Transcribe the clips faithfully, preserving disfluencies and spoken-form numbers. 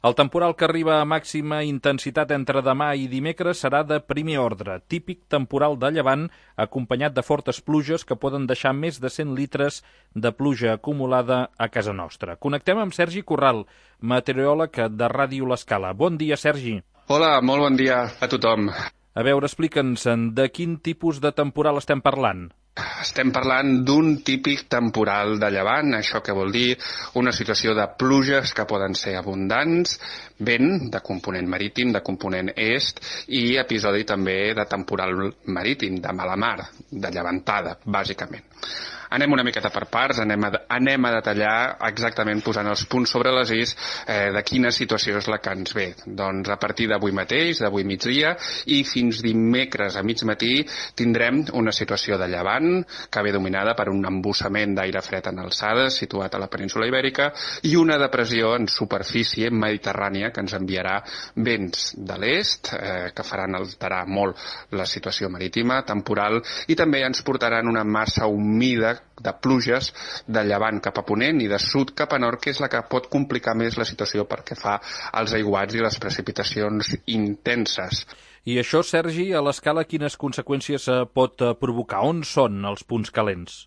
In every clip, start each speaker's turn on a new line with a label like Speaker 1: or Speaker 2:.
Speaker 1: El temporal que arriba a màxima intensitat entre demà i dimecres serà de primer ordre, típic temporal de llevant, acompanyat de fortes pluges que poden deixar més de cent litres de pluja acumulada a casa nostra. Connectem amb Sergi Corral, meteoròleg de Ràdio L'Escala. Bon dia, Sergi.
Speaker 2: Hola, molt bon dia a tothom.
Speaker 1: A veure, explica'ns, de quin tipus de temporal estem parlant?
Speaker 2: Estem parlant d'un típic temporal de llevant, això que vol dir una situació de pluges que poden ser abundants, vent de component marítim, de component est, i episodi també de temporal marítim, de mala mar, de llevantada, bàsicament. Anem una miqueta per parts, anem a, anem a detallar exactament posant els punts sobre les is eh, de quina situació és la que ens ve. Doncs a partir d'avui mateix, d'avui migdia, i fins dimecres a mig matí tindrem una situació de llevant que ve dominada per un embussament d'aire fred en alçades situat a la península Ibèrica i una depressió en superfície mediterrània que ens enviarà vents de l'est eh, que faran alterar molt la situació marítima, temporal, i també ens portaran una massa humida de pluges de llevant cap a ponent i de sud cap a nord, que és la que pot complicar més la situació perquè fa els aiguats i les precipitacions intenses.
Speaker 1: I això, Sergi, a l'escala quines conseqüències pot provocar? On són els punts calents?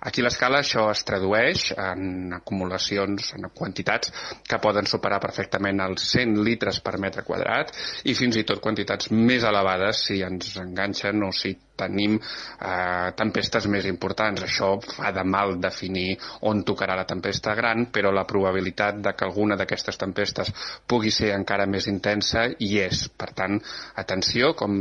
Speaker 2: Aquí a l'escala això es tradueix en acumulacions, en quantitats que poden superar perfectament els cent litres per metre quadrat i fins i tot quantitats més elevades si ens enganxen o si tenim eh, tempestes més importants. Això fa de mal definir on tocarà la tempesta gran, però la probabilitat de que alguna d'aquestes tempestes pugui ser encara més intensa hi és. Per tant, atenció, com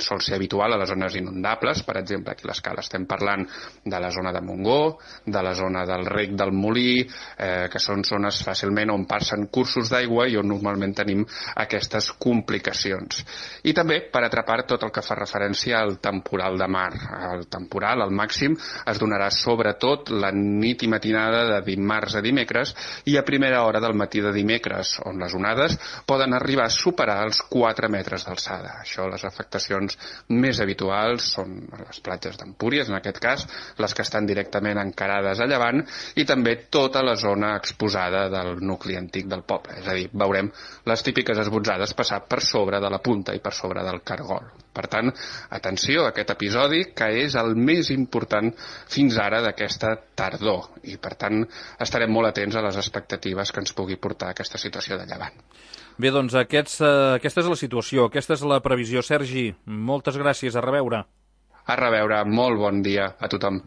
Speaker 2: sol ser habitual a les zones inundables, per exemple, aquí a l'escala estem parlant de la zona de Montgó, de la zona del Rec del Molí, eh, que són zones fàcilment on passen cursos d'aigua i on normalment tenim aquestes complicacions. I també, per atrapar tot el que fa referència al temporal de mar. El temporal, al màxim, es donarà sobretot la nit i matinada de dimarts a dimecres i a primera hora del matí de dimecres, on les onades poden arribar a superar els quatre metres d'alçada. Això, les afectacions més habituals són les platges d'Empúries, en aquest cas, les que estan directament encarades a llevant, i també tota la zona exposada del nucli antic del poble. És a dir, veurem les típiques esbotzades passar per sobre de la punta i per sobre del cargol. Per tant, atenció a aquest episodi, que és el més important fins ara d'aquesta tardor, i per tant estarem molt atents a les expectatives que ens pugui portar aquesta situació de llevant.
Speaker 1: Bé, doncs aquests, eh, aquesta és la situació, aquesta és la previsió. Sergi, moltes gràcies, a reveure.
Speaker 2: A reveure, molt bon dia a tothom.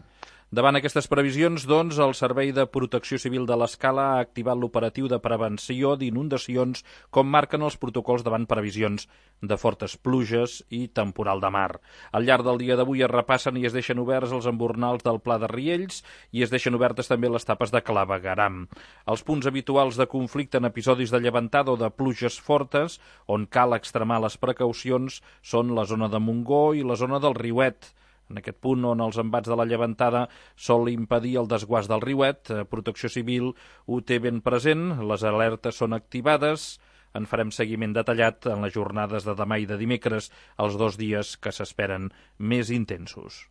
Speaker 1: Davant aquestes previsions, doncs, el Servei de Protecció Civil de l'Escala ha activat l'operatiu de prevenció d'inundacions, com marquen els protocols davant previsions de fortes pluges i temporal de mar. Al llarg del dia d'avui es repassen i es deixen oberts els embornals del Pla de Riells i es deixen obertes també les tapes de Clavegueram. Els punts habituals de conflicte en episodis de llevantada o de pluges fortes, on cal extremar les precaucions, són la zona de Montgó i la zona del Riuet. En aquest punt on els embats de la llevantada sol impedir el desguàs del riuet, Protecció Civil ho té ben present, les alertes són activades, en farem seguiment detallat en les jornades de demà i de dimecres, els dos dies que s'esperen més intensos.